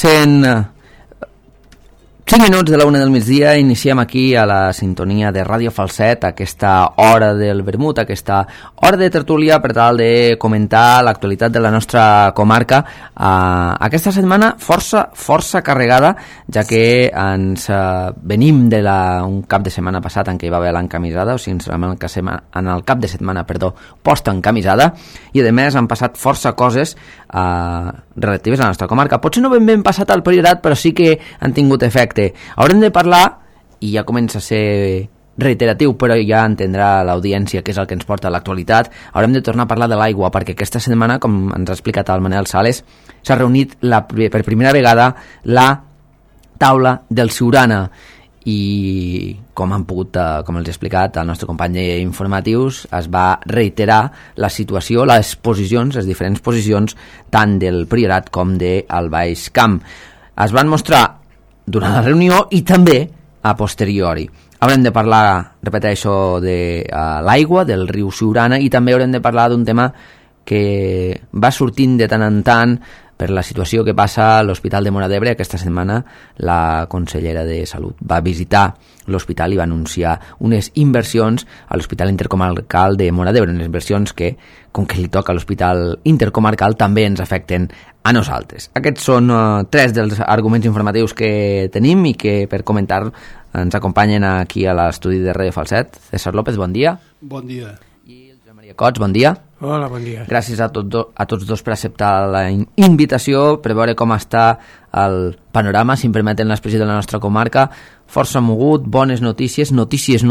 Passen 5 minuts de la 1 del migdia, iniciem aquí a la sintonia de Ràdio Falset aquesta hora del vermut, aquesta hora de tertúlia per tal de comentar l'actualitat de la nostra comarca. Aquesta setmana força carregada, ja que ens venim un cap de setmana passat en què hi va haver l'encamisada, o sigui, en el cap de setmana, post-encamisada, i a més han passat força coses relatives a la nostra comarca. Potser no ben passat al Priorat, però sí que han tingut efecte. Haurem de parlar, i ja comença a ser reiteratiu, però ja entendrà l'audiència que és el que ens porta a l'actualitat, haurem de tornar a parlar de l'aigua, perquè aquesta setmana, com ens ha explicat el Manel Sales, s'ha reunit per primera vegada la taula del Siurana, i com els he explicat el nostre company d'informatius, es va reiterar la situació, les diferents posicions tant del Priorat com del Baix Camp. Es van mostrar durant la reunió i també a posteriori. Haurem de parlar, repeteixo, de l'aigua, del riu Siurana, i també haurem de parlar d'un tema que va sortint de tant en tant per la situació que passa a l'Hospital de Móra d'Ebre. Aquesta setmana la consellera de Salut va visitar l'hospital i va anunciar unes inversions a l'Hospital Intercomarcal de Móra d'Ebre, unes inversions que, com que li toca a l'Hospital Intercomarcal, també ens afecten a nosaltres. Aquests són 3 dels arguments informatius que tenim i que per comentar ens acompanyen aquí a l'estudi de Ràdio Falset. César López, bon dia. Bon dia. I el Joan Maria Cots, bon dia. Hola, bon dia. Gràcies a tots dos per acceptar la invitació, per veure com està el panorama, si em permeten l'expressió de la nostra comarca. Força mogut, bones notícies no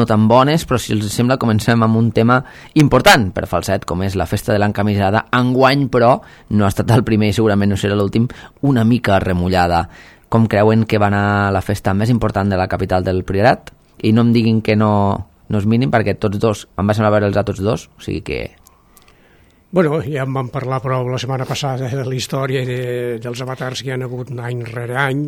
tan bones, però si els sembla comencem amb un tema important per Falset, com és la festa de l'encamisada. Enguany, però, no ha estat el primer i segurament no serà l'últim, una mica remullada. Com creuen que va anar la festa més important de la capital del Priorat? I no em diguin que no és mínim, perquè tots dos, em va semblar veure'ls a tots dos, o sigui que... Bueno, ja en vam parlar prou la setmana passada de la història dels avatars que hi ha hagut any rere any.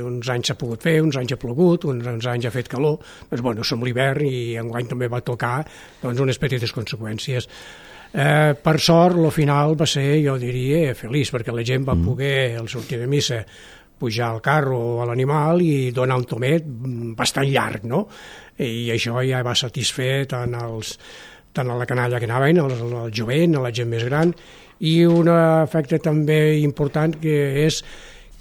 Uns anys s'ha pogut fer, uns anys ha plogut, uns anys ha fet calor. Doncs, bueno, som l'hivern i enguany també va tocar unes petites conseqüències. Per sort, el final va ser, jo diria, feliç, perquè la gent va poder, al sortir de missa, pujar al carro o a l'animal i donar un tomet bastant llarg, no? I això ja va satisfer tant a la canalla que anaven, al jovent, a la gent més gran, i un efecte també important que és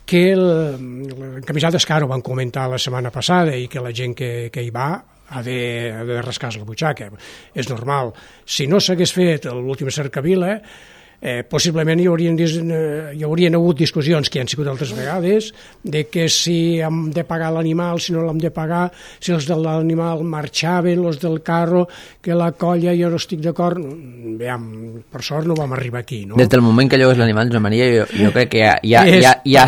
que l'encamisades que ara ho van comentar la setmana passada i que la gent que hi va ha de rascar-se la butxaca. És normal. Si no s'hagués fet l'última cercavila, possiblement hi haurien hagut discussions que han sigut altres vegades de que si hem de pagar l'animal, si no l'hem de pagar, si els de l'animal marxaven, els del carro, que la colla, jo no estic d'acord. Per sort no vam arribar aquí, no? Des del moment que llogues l'animal, Joan Maria, jo crec que ja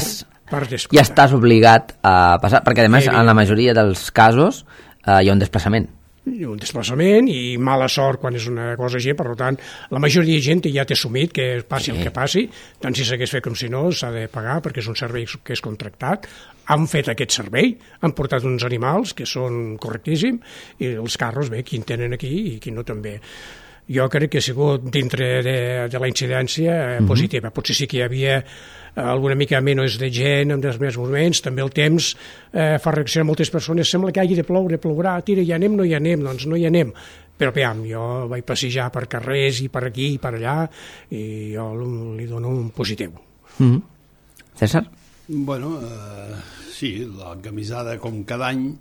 estàs obligat a passar, perquè a més en la majoria dels casos hi ha un desplaçament i mala sort quan és una cosa així. Per tant, la majoria de gent ja té assumit que passi el que passi, tant si s'hagués fet com si no, s'ha de pagar perquè és un servei que és contractat. Han fet aquest servei, han portat uns animals que són correctíssims, i els carros, qui en tenen aquí i qui no també. Jo crec que ha sigut dintre de la incidència positiva. Potser sí que hi havia alguna mica menys de gent en els més moments, també el temps fa reaccionar moltes persones, sembla que hagi de ploure, plourà, tira, ja anem, no hi anem, doncs no hi anem. Però jo vaig passejar per carrers i per aquí i per allà i jo li dono un positiu. César? Bueno, sí, l'encamisada com cada any,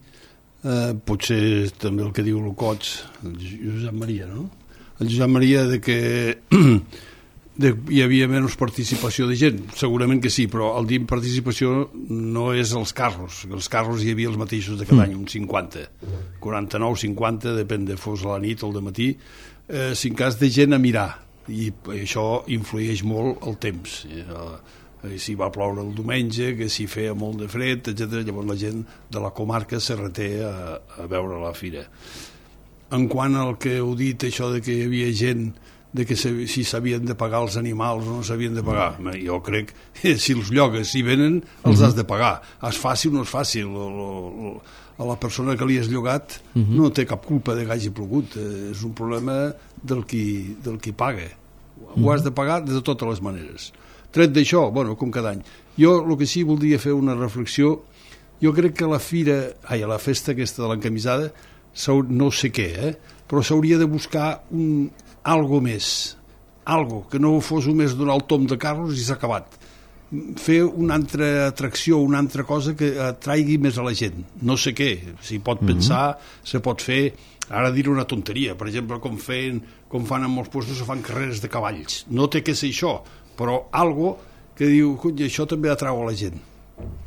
potser també el que diu el Cots, el Josep Maria, no? El Josep Maria de que hi havia menys participació de gent, segurament que sí, però el dir participació no és els carros hi havia els mateixos de cada any, uns 50, 49, 50, depèn de fos a la nit o al dematí, si en cas de gent a mirar, i això influeix molt el temps, si va ploure el diumenge, que si feia molt de fred, etc. Llavors la gent de la comarca se reté a veure la fira. En quant al que heu dit, això de que hi havia gent de que si s'havien de pagar els animals o no s'havien de pagar, jo crec que si els llogues, si venen, els has de pagar. És fàcil o no és fàcil, a la persona que li has llogat no té cap culpa de que hagi plogut, és un problema del qui paga. Ho has de pagar de totes les maneres. Tret d'això, bueno, com cada any. Jo el que sí voldria fer una reflexió, jo crec que la la festa aquesta de l'encamisada, no sé què, però s'hauria de buscar algo més, algo que no fos només donar el tom de carros i s'ha acabat. Fer una altra atracció, una altra cosa que atraigui més a la gent. No sé què, s'hi pot pensar, se pot fer, ara diré una tonteria, per exemple, com fan en molts llocs, fan carreres de cavalls. No té que ser això, però algo que diu, això també atrau a la gent.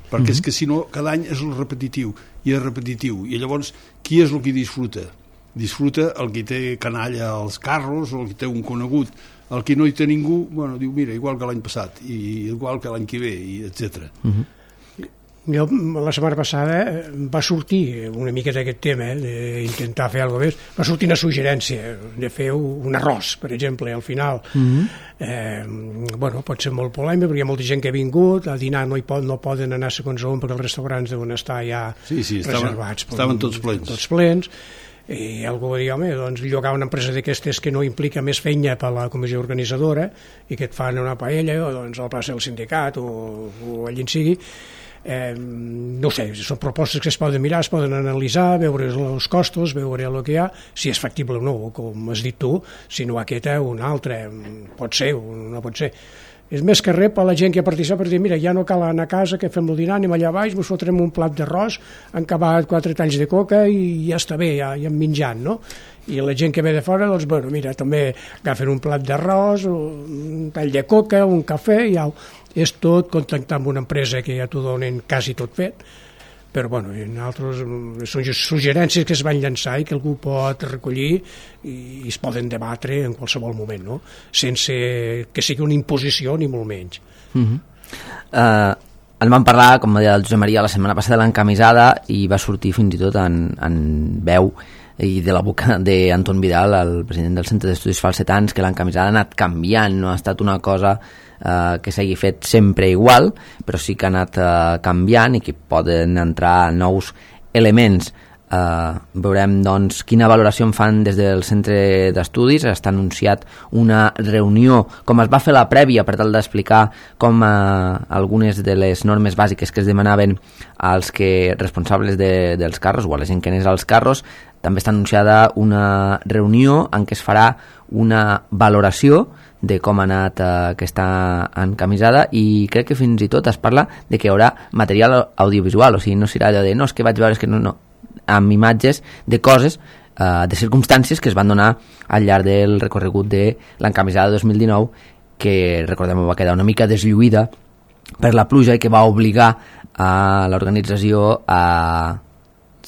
Perquè és que si no, cada any és el repetitiu, i és repetitiu. I llavors, qui és el que disfruta? Disfruta el que té canalla als carros, o el que té un conegut. El que no hi té ningú, bueno, diu, mira, igual que l'any passat, i igual que l'any que ve, i etc. Jo, la setmana passada va sortir una mica d'aquest tema, d'intentar fer alguna cosa més, va sortir una suggerència de fer un arròs, per exemple, al final. Bueno, pot ser molt polèmic, perquè hi ha molta gent que ha vingut, a dinar no poden anar segons on, perquè els restaurants deuen estar ja reservats. Estaven tots plens. Tots plens. I algú va dir, home, doncs llogar una empresa d'aquestes que no implica més feina per la comissió organitzadora i que et fan una paella, o doncs a la plaça del sindicat o allí en sigui. No sé, són propostes que es poden mirar, es poden analitzar, veure els costos, veure el que hi ha, si és factible o no, com has dit tu, si no aquesta o una altra, pot ser o no pot ser. És més que res per la gent que ha participat per dir, mira, ja no cal anar a casa, que fem el dinar, anem allà baix, ens fotrem un plat d'arròs, han acabat 4 talls de coca i ja està bé, ja hem menjat, no? I la gent que ve de fora, doncs, bueno, mira, també agafen un plat d'arròs, un tall de coca, un cafè, i ja és tot contactar amb una empresa que ja t'ho donen quasi tot fet, però bueno, altres són suggerències que es van llançar i que algú pot recollir i es poden debatre en qualsevol moment, no? Sense que sigui una imposició ni molt menys. En vam parlar, com va dir el Josep Maria, la setmana passada de l'encamisada, i va sortir fins i tot en veu i de la boca d'Anton Vidal, el president del Centre d'Estudis Falsetans, que l'encamisada ha anat canviant, no ha estat una cosa que s'hagi fet sempre igual, però sí que ha anat canviant i que poden entrar nous elements. Veurem doncs quina valoració en fan des del centre d'estudis. Està anunciat una reunió, com es va fer la prèvia, per tal d'explicar com algunes de les normes bàsiques que es demanaven als responsables dels carros o a la gent que anés als carros. També està anunciada una reunió en què es farà una valoració de com ha anat aquesta encamisada, i crec que fins i tot es parla de que hi haurà material audiovisual, o sigui, no serà allò de no, és que vaig veure, és que no, amb imatges de coses, de circumstàncies que es van donar al llarg del recorregut de l'encamisada 2019, que recordem va quedar una mica deslluïda per la pluja i que va obligar a l'organització a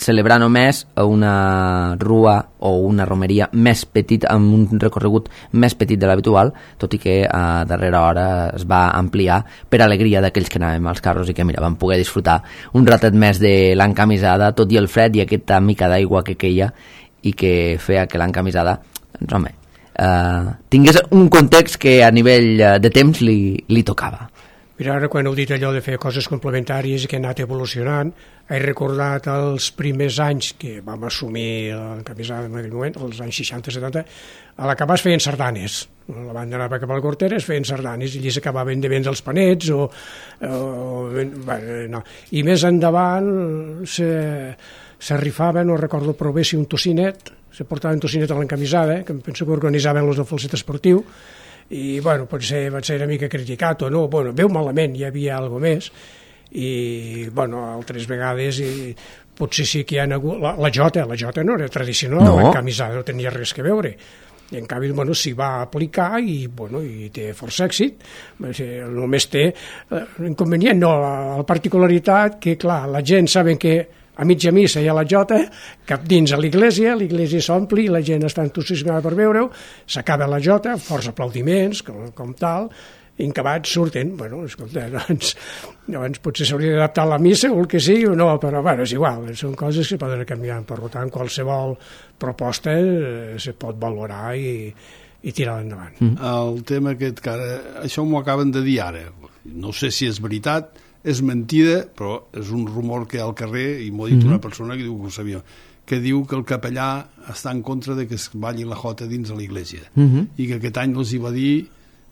celebrar només una rua o una romeria més petit, amb un recorregut més petit de l'habitual, tot i que a darrera hora es va ampliar per alegria d'aquells que anàvem als carros i que, mira, vam poder disfrutar un ratet més de l'encamisada, tot i el fred i aquesta mica d'aigua que queia i que feia que l'encamisada, doncs, home, tingués un context que a nivell de temps li tocava. Mira, ara quan heu dit allò de fer coses complementàries i que ha anat evolucionant, he recordat els primers anys que vam assumir l'encamisada en aquell moment, els anys 60-70, a l'acabar es feien sardanes. La banda anava cap al Cortera, es feien sardanes, i allí s'acabaven de vendre els panets, no. I més endavant se rifaven, no recordo prou bé si un tocinet, se portaven tocinet a l'encamisada, que penso que organitzaven els del falset esportiu, i bueno, potser va ser una mica criticat o no, bueno, veu malament, hi havia alguna més, i bueno, altres vegades potser sí que hi ha hagut la jota no era tradicional, no. L'encamisada no tenia res que veure, i en canvi bueno, s'hi va aplicar i, bueno, i té força èxit. Només té inconvenient, no, la particularitat que clar, la gent saben que a mitja missa hi ha la jota, cap dins a l'església s'ompli, la gent està entusiasmada per veure-ho, s'acaba la jota, forts aplaudiments, com tal, i en acabat surten. Bueno, escolta, doncs potser s'hauria d'adaptar a la missa o el que sigui o no, però bueno, és igual, són coses que poden canviar. Per tant, qualsevol proposta se pot valorar i tirar endavant. El tema aquest, que ara, això m'ho acaben de dir ara, no sé si és veritat, és mentida, però és un rumor que hi ha al carrer, i m'ho ha dit una persona que diu que ho sabia, que diu que el capellà està en contra de que es balli la jota dins de l'església, i que aquest any els hi va dir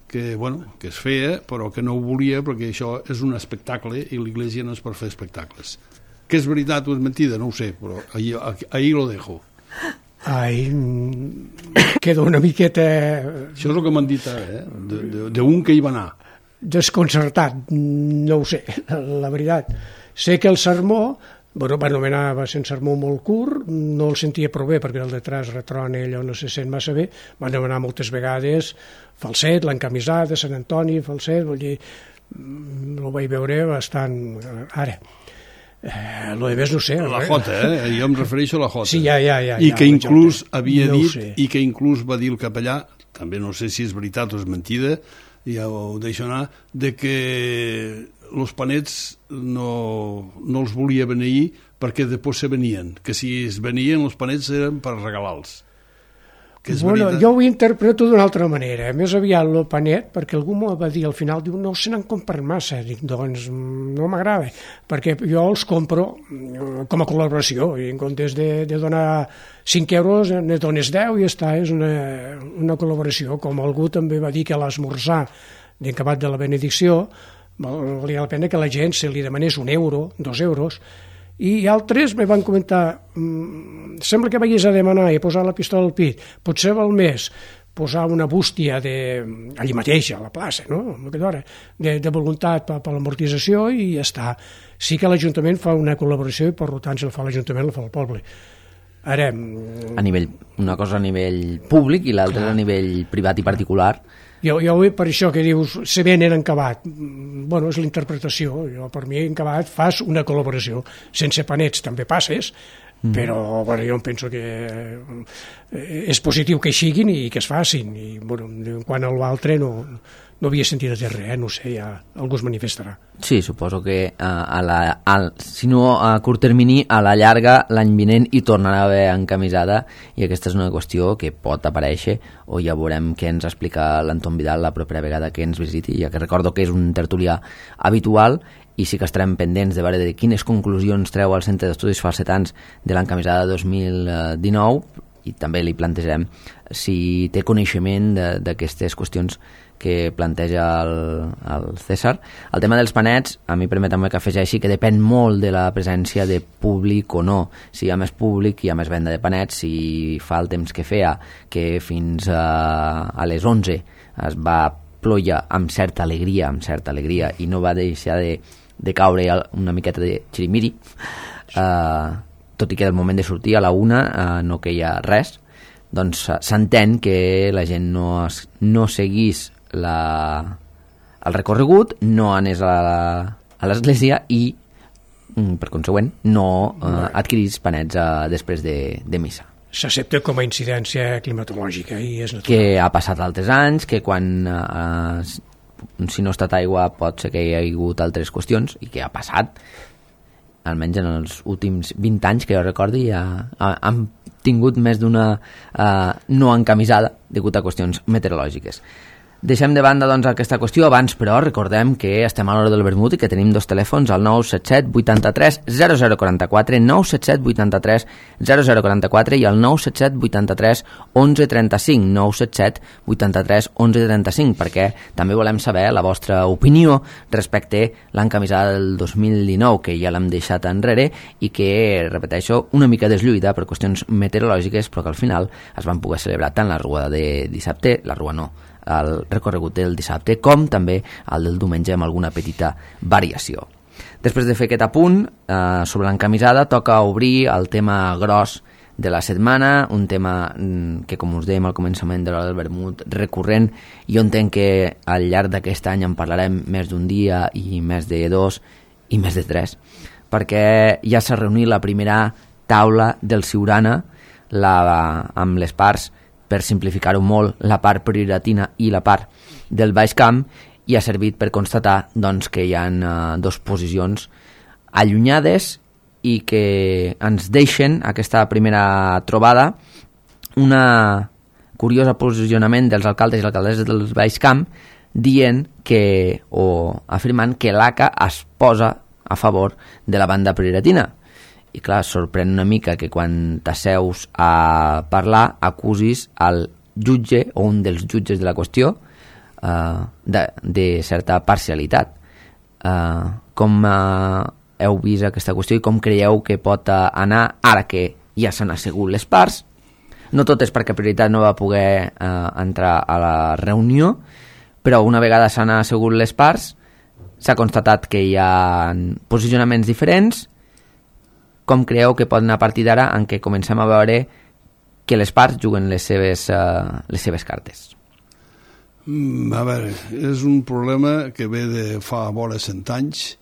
que es feia, però que no ho volia perquè això és un espectacle i l'Iglésia no és per fer espectacles. Que és veritat o és mentida, no ho sé, però ahí lo dejo. Ai, queda una miqueta... Això és el que m'han dit d'un que hi va anar. Desconcertat, no ho sé, la veritat. Sé que el sermó, va ser un sermó molt curt, no el sentia prou bé perquè el detrás retrona allò no se sent massa bé, van demanar moltes vegades falset, l'encamisat de Sant Antoni, falset, vull dir, el vaig veure bastant... Ara, lo de més no sé. La Jota, jo em refereixo a la Jota. Sí, ja. I que inclús havia dit, i que inclús va dir el capellà, també no sé si és veritat o és mentida, ja ho deixo anar, de que els panets no els volia beneir perquè després se venien, que si es venien els panets eren per regalar-los. Jo ho interpreto d'una altra manera, més aviat el panet, perquè algú m'ho va dir al final, diu, no se n'han comprat massa, dic, doncs no m'agrada, perquè jo els compro com a col·laboració, i en comptes de donar 5 euros ne dones 10 i ja està, és una col·laboració, com algú també va dir que a l'esmorzar d'acabat de la benedicció valia la pena que la gent se li demanés 1 euro, 2 euros, i altres me van comentar sembla que vagis a demanar i posar la pistola al pit, potser val més posar una bústia allí mateix, a la plaça, no? De voluntat per l'amortització i ja està. Sí que l'Ajuntament fa una col·laboració i per tant si la fa l'Ajuntament la fa el poble. Ara... Una cosa a nivell públic i l'altra a nivell privat i particular. Jo per això que dius, se venen en acabat, és la interpretació, per mi en acabat fas una col·laboració, sense panets també passes, però jo em penso que és positiu que hi siguin i que es facin, i quan a l'altre no havia sentit a dir res, no sé, ja algú es manifestarà. Sí, suposo que si no a curt termini, a la llarga l'any vinent hi tornarà a haver encamisada i aquesta és una qüestió que pot aparèixer o ja veurem què ens explica l'Anton Vidal la propera vegada que ens visiti, ja que recordo que és un tertulià habitual i sí que estarem pendents de veure de quines conclusions treu el Centre d'Estudis Falsetans de l'encamisada 2019 i també li plantejarem si té coneixement d'aquestes qüestions que planteja el César. El tema dels panets, a mi permetem que afegeixi que depèn molt de la presència de públic o no. Si hi ha més públic, hi ha més venda de panets. Si fa el temps que feia, que fins a les 11 es va ploure amb certa alegria i no va deixar de caure una miqueta de xirimiri, tot i que del moment de sortir a la 1 no queia res, doncs s'entén que la gent no seguís el recorregut, no anés a l'església i per consegüent no adquirís panets després de missa. S'accepta com a incidència climatològica i és natural. Que ha passat altres anys, que quan si no ha estat aigua pot ser que hi ha hagut altres qüestions i que ha passat, almenys en els últims 20 anys que jo recordi han tingut més d'una no encamisada degut a qüestions meteorològiques. Deixem de banda doncs aquesta qüestió abans, però recordem que estem a l'hora del vermut i que tenim dos telèfons, el 977 83 0044, 977 83 0044 i el 977 83 1135, 977 83 1135, perquè també volem saber la vostra opinió respecte a l'encamisada del 2019, que ja l'hem deixat enrere i que, repeteixo, una mica deslluïda per qüestions meteorològiques, però que al final es van poder celebrar tant la rua de dissabte, la rua no, el recorregut del dissabte, com també el del diumenge amb alguna petita variació. Després de fer aquest apunt sobre l'encamisada, toca obrir el tema gros de la setmana, un tema que, com us dèiem al començament de l'hora del vermut, recurrent. Jo entenc que al llarg d'aquest any en parlarem més d'un dia i més de 2 i més de 3, perquè ja s'ha reunit la primera taula del Siurana amb les parts, per simplificar-ho molt, la part prioratina i la part del Baix Camp, i ha servit per constatar doncs, que hi ha dues posicions allunyades i que ens deixen aquesta primera trobada una curiosa posicionament dels alcaldes i alcaldesses del Baix Camp dient que, o afirmant que l'ACA es posa a favor de la banda prioratina. I clar, sorprèn una mica que quan t'asseus a parlar acusis el jutge o un dels jutges de la qüestió, de certa parcialitat. Com heu vist aquesta qüestió i com creieu que pot anar ara que ja s'han assegut les parts? No tot és perquè Prioritat no va poder entrar a la reunió, però una vegada s'han assegut les parts s'ha constatat que hi ha posicionaments diferents. Com creieu que pot anar a partir d'ara en què comencem a veure que les parts juguen les seves cartes? A veure, és un problema que ve de fa vora 100 anys,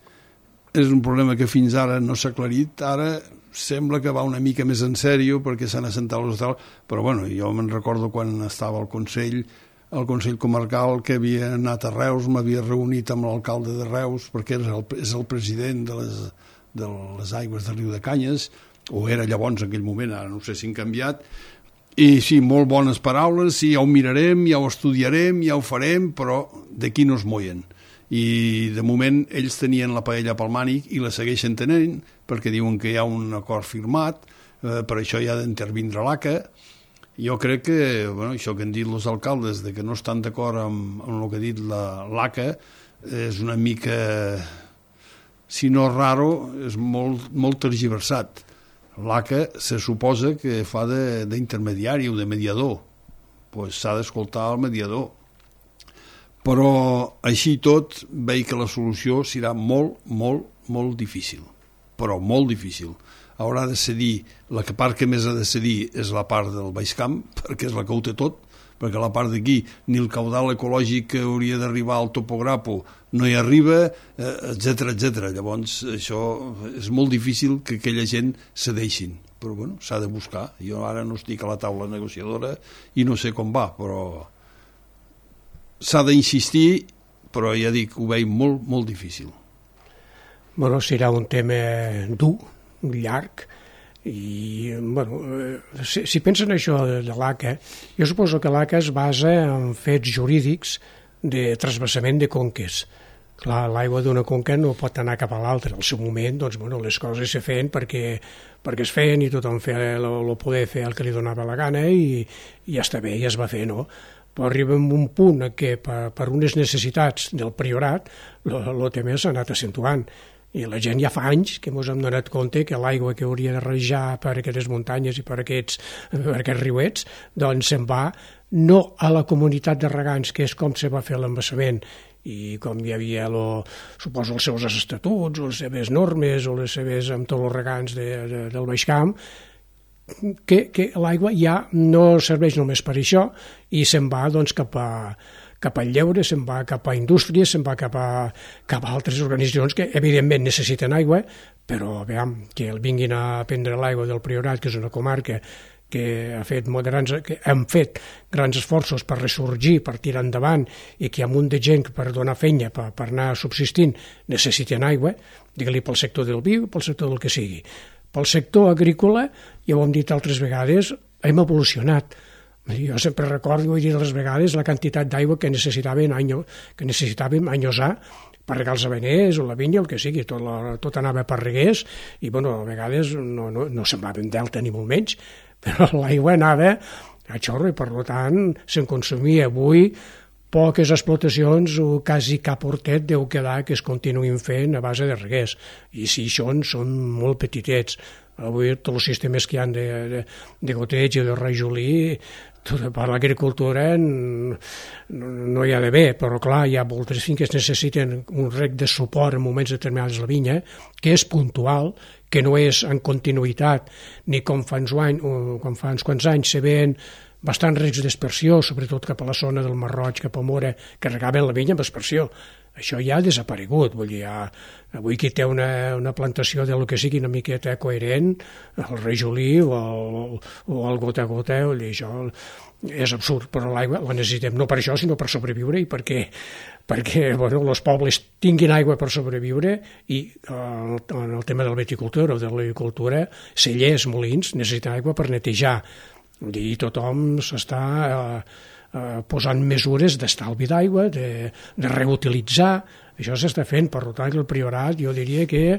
és un problema que fins ara no s'ha aclarit, ara sembla que va una mica més en sèrio perquè s'han assentat els hostals, però bueno, jo me'n recordo quan estava al Consell Comarcal, que havia anat a Reus, m'havia reunit amb l'alcalde de Reus perquè és el president de les aigües del riu de Canyes, o era llavors en aquell moment, ara no sé si han canviat, i sí, molt bones paraules, sí, ja ho mirarem, ja ho estudiarem, ja ho farem, però d'aquí no es moien. I de moment ells tenien la paella pel mànic i la segueixen tenint, perquè diuen que hi ha un acord firmat, per això hi ha d'intervindre l'ACA. Jo crec que, bueno, això que han dit els alcaldes, de que no estan d'acord amb el que ha dit l'ACA, és una mica, si no raro, és molt tergiversat. L'ACA se suposa que fa d'intermediari o de mediador, pues s'ha d'escoltar el mediador. Però així tot veig que la solució serà molt difícil, però molt difícil. Haurà de cedir, la part que més ha de cedir és la part del Baix Camp, perquè és la que ho té tot, perquè la part d'aquí ni el caudal ecològic que hauria d'arribar al topograpo no hi arriba, etc. Llavors això és molt difícil que aquella gent cedeixin, però bueno, s'ha de buscar. Jo ara no estic a la taula negociadora i no sé com va, però s'ha d'insistir, però ja dic, ho veig molt difícil. Bueno, serà un tema dur, llarg, i bueno, si pensen això de l'ACA, jo suposo que l'ACA es basa en fets jurídics de trasbassament de conques. Clar, l'aigua d'una conca no pot anar cap a l'altra. Al seu moment, doncs, bueno, les coses se feien perquè es feien i tothom poder fer el que li donava la gana i ja està bé, ja es va fer, no? Però arriba a un punt que per unes necessitats del priorat el tema s'ha anat accentuant. I la gent ja fa anys que ens hem donat compte que l'aigua que hauria de rajar per aquestes muntanyes i per aquests riuets, doncs se'n va no a la comunitat de regants, que és com se va fer l'embassament, i com hi havia, suposo, els seus estatuts, o les seves normes, o les seves, amb tots els regants del Baix Camp, que l'aigua ja no serveix només per això, i se'n va doncs cap al lleure, se'n va cap a indústries, se'n va cap a altres organitzacions que evidentment necessiten aigua, però veiem que vinguin a prendre l'aigua del Priorat, que és una comarca que hem fet grans esforços per ressorgir, per tirar endavant, i que hi ha un munt de gent per donar feina, per anar subsistint, necessiten aigua, digue-li pel sector del vi, pel sector del que sigui. Pel sector agrícola, ja ho hem dit altres vegades, hem evolucionat. Jo sempre recordo, ho he dit altres vegades, la quantitat d'aigua que necessitàvem anys A per regar els aveners o la vinya, el que sigui, tot anava per reguers, i bueno, a vegades no semblava un delta ni molt menys, però l'aigua anava a xorro i per tant se'n consumia. Avui poques explotacions o quasi cap hortet deu quedar que es continuïn fent a base de reguers, i si són molt petitets. Avui tots els sistemes que hi ha de goteig i de rajolí per l'agricultura no hi ha d'haver, però clar, hi ha moltes finques que necessiten un reg de suport en moments determinats de la vinya, que és puntual, que no és en continuïtat, ni com fa uns quants anys se veien bastants regs d'aspersió, sobretot cap a la zona del Mar Roig, cap a Mora, que regaven la vinya amb aspersió. Això ja ha desaparegut, vull dir, avui qui té una plantació de lo que sigui una miqueta coherent, el rajolí o el gota a gota, vull dir, això és absurd, però l'aigua la necessitem no per això, sinó per sobreviure i perquè bueno, els pobles tinguin aigua per sobreviure, i en el tema de la viticultura o de l'agricultura, cellers, molins, necessiten aigua per netejar, i tothom s'està posant mesures d'estalvi d'aigua, de reutilitzar, això s'està fent. Per tant, el Priorat jo diria que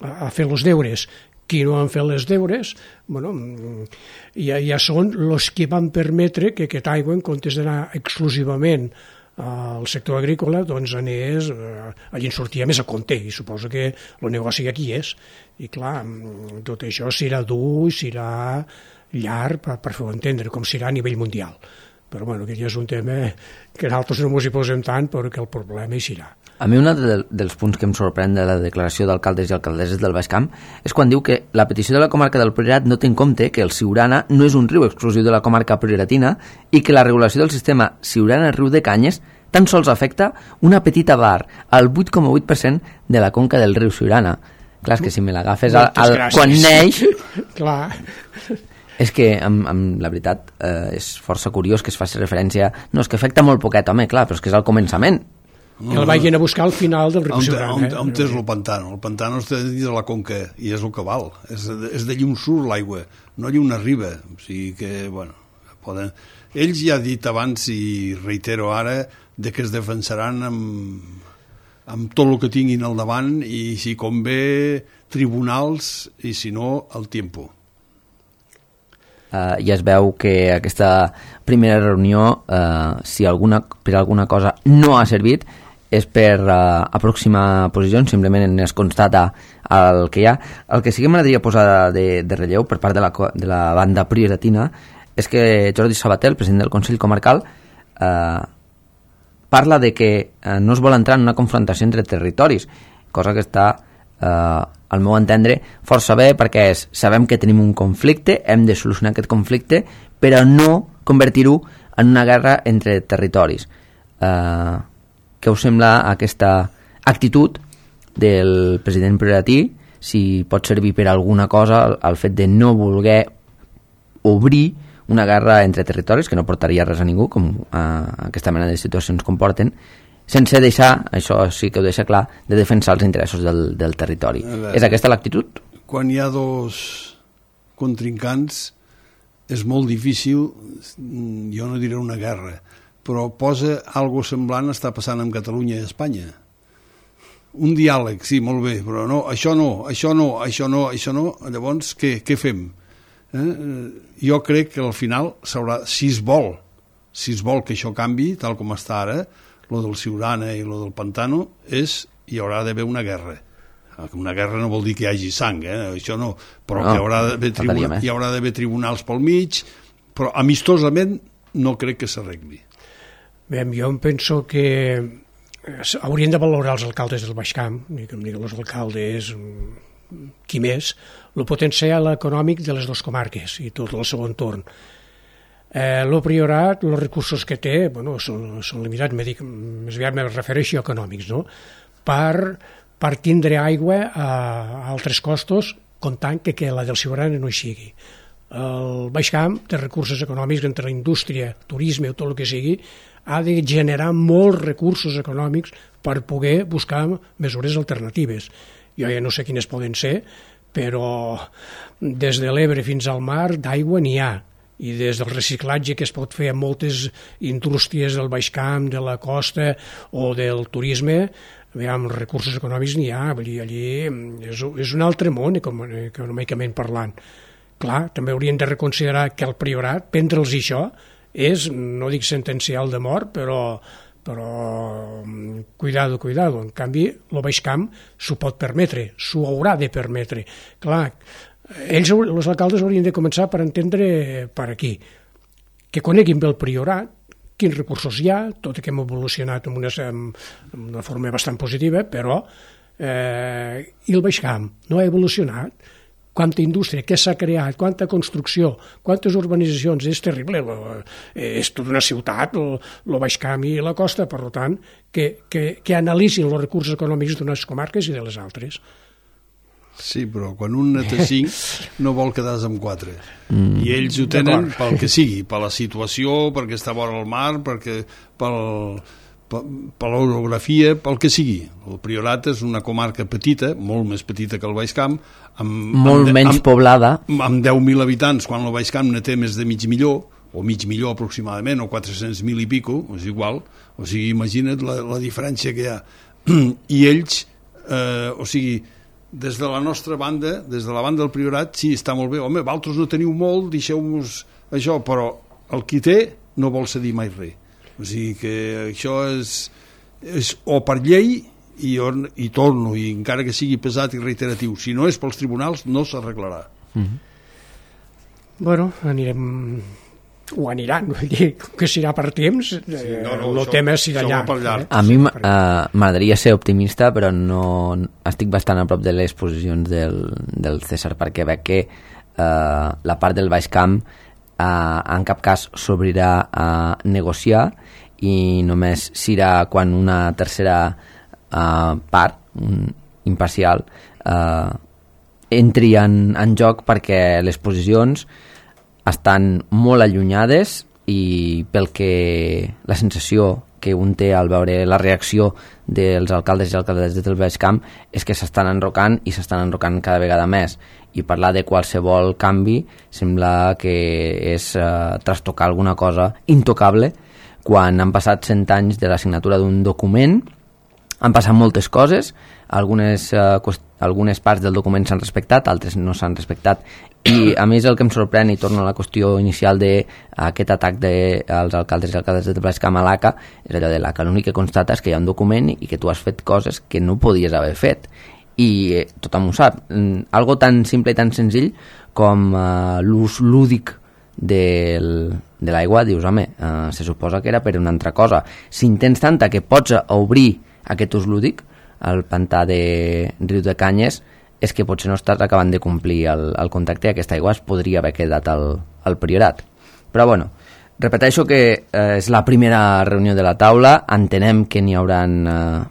ha fet els deures. Qui no han fet els deures, bueno, ja són els que van permetre que aquesta aigua, en comptes d'anar exclusivament al sector agrícola, doncs anés, allí en sortia més a compte, i suposo que el negoci aquí és. I clar, tot això serà dur, serà llarg per fer-ho entendre, com serà a nivell mundial. Però bueno, aquest ja és un tema que nosaltres no ens hi posem tant, però que el problema hi serà. A mi un dels punts que em sorprèn de la declaració d'alcaldes i alcaldesses del Baix Camp és quan diu que la petició de la comarca del Priorat no té en compte que el Siurana no és un riu exclusiu de la comarca prioratina i que la regulació del sistema Siurana-Riu de Canyes tan sols afecta una petita part, el 8,8% de la conca del riu Siurana. Clar, és que si me l'agafes quan neix... Clar. És que, amb la veritat, és força curiós que es faci referència... No, és que afecta molt poquet, home, clar, però és que és al començament. Que el vagin a buscar al final del riu Siurana. On és el pantano? El pantano està dins de la conca i és el que val. És d'allí on surt l'aigua, no allí on arriba. O sigui que, bueno, poden... Ells ja han dit abans, i reitero ara, de que es defensaran amb tot el que tinguin al davant i si convé tribunals i si no el tiempo. Ja es veu que aquesta primera reunió, si per alguna cosa no ha servit, és per aproximar posicions, simplement es constata el que hi ha. El que sí que m'agradaria posar de relleu per part de la banda prioratina és que Jordi Sabater, el president del Consell Comarcal, parla de que no es vol entrar en una confrontació entre territoris, cosa que està, al meu entendre, força bé, perquè sabem que tenim un conflicte, hem de solucionar aquest conflicte, però no convertir-ho en una guerra entre territoris. Què us sembla aquesta actitud del president prioratí? Si pot servir per alguna cosa el fet de no voler obrir una guerra entre territoris, que no portaria res a ningú, com aquesta mena de situacions comporten, sense deixar, això sí que ho deixa clar, de defensar els interessos del territori. És aquesta l'actitud? Quan hi ha dos contrincants és molt difícil, jo no diré una guerra, però posa algo semblant està passant amb Catalunya i Espanya. Un diàleg, sí, molt bé, però no, això no, llavors què fem? Jo crec que al final s'haurà, si es vol que això canvi, tal com està ara, lo del Siurana i lo del Pantano, hi haurà d'haver una guerra. Una guerra no vol dir que hi hagi sang, això no, però no, que hi haurà d'haver tribunals pel mig, però amistosament no crec que s'arregli. Bé, jo em penso que haurien de valorar els alcaldes del Baix Camp, i que em diguin els alcaldes, qui més, el potencial econòmic de les dues comarques i tot el seu entorn. El Priorat, els recursos que té, bueno, són limitats, més aviat me refereixo a econòmics, no? Per tindre aigua a altres costos, comptant que la del Siurana no hi sigui. El Baix Camp té recursos econòmics entre la indústria, turisme o tot el que sigui, ha de generar molts recursos econòmics per poder buscar mesures alternatives. Jo ja no sé quines poden ser, però des de l'Ebre fins al mar d'aigua n'hi ha, i des del reciclatge que es pot fer a moltes indústries del Baix Camp, de la costa o del turisme, amb recursos econòmics n'hi ha, allí és un altre món econòmicament parlant. Clar, també haurien de reconsiderar que el Priorat, prendre'ls això, és, no dic sentencial de mort, però cuidado. En canvi, el Baix Camp s'ho pot permetre, s'ho haurà de permetre. Clar, ells, els alcaldes, haurien de començar per entendre per aquí, que coneguin bé el Priorat, quins recursos hi ha, tot i que hem evolucionat en una forma bastant positiva, però i el Baix Camp no ha evolucionat. Quanta indústria, què s'ha creat, quanta construcció, quantes urbanitzacions, és terrible, és tota una ciutat, el Baix Camp i la costa, per tant, que analitzin els recursos econòmics d'unes comarques i de les altres. Sí, però quan un té 5 no vol quedar-se amb 4. I ells ho tenen pel que sigui, per la situació, perquè està vora el mar, per l'orografia, pel que sigui. El Priorat és una comarca petita, molt més petita que el Baix Camp, molt menys poblada, amb 10.000 habitants, quan el Baix Camp ne té més de mig milió, o mig milió aproximadament, o 400.000 i pico, és igual, o sigui, imagina't la diferència que hi ha. I ells, o sigui, des de la nostra banda, des de la banda del Priorat, sí, està molt bé, home, vosaltres no teniu molt, deixeu-nos això, però el qui té no vol cedir mai res. O sigui que això és o per llei i torno, i encara que sigui pesat i reiteratiu, si no és pels tribunals no s'arreglarà. Bueno, aniran, vull dir, que serà per temps, el tema serà llarg. A mi m'agradaria ser optimista, però no estic bastant a prop de les posicions del César, perquè veig que la part del Baix Camp en cap cas s'obrirà a negociar, i només serà quan una tercera part imparcial entri en joc, perquè les posicions estan molt allunyades, i pel que la sensació que un té al veure la reacció dels alcaldes i alcaldesses del Baix Camp és que s'estan enrocant, i s'estan enrocant cada vegada més, i parlar de qualsevol canvi sembla que és trastocar alguna cosa intocable, quan han passat 100 anys de la signatura d'un document. Han passat moltes coses, algunes parts del document s'han respectat, altres no s'han respectat, i a mi és el que em sorprèn, i torno a la qüestió inicial d'aquest atac als alcaldes i alcaldesses del Baix Camp a l'ACA, és allò de l'ACA, l'únic que constata és que hi ha un document i que tu has fet coses que no podies haver fet, i tothom ho sap. Algo tan simple i tan senzill com l'ús lúdic de l'aigua, dius, home, se suposa que era per una altra cosa. Si intents tanta que pots obrir aquest ús lúdic, el pantà de Riu de Canyes, és que potser no estàs acabant de complir el contracte, i aquesta aigua es podria haver quedat al Priorat. Però bueno, repeteixo que és la primera reunió de la taula, entenem que n'hi hauran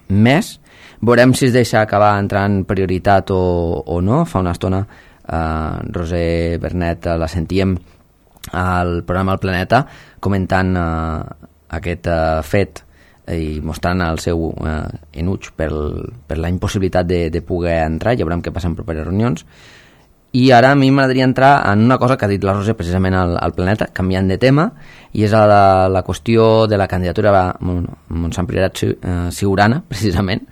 més, veurem si es deixa acabar entrant prioritat o no. Fa una estona Roser Bernet la sentíem al programa El Planeta comentant aquest fet i mostrant el seu enuig per la impossibilitat de poder entrar. Ja veurem què passa en properes reunions. I ara a mi m'agradaria entrar en una cosa que ha dit la Roser precisament al Planeta, canviant de tema, i és la qüestió de la candidatura Montsant Priorat Siurana, precisament.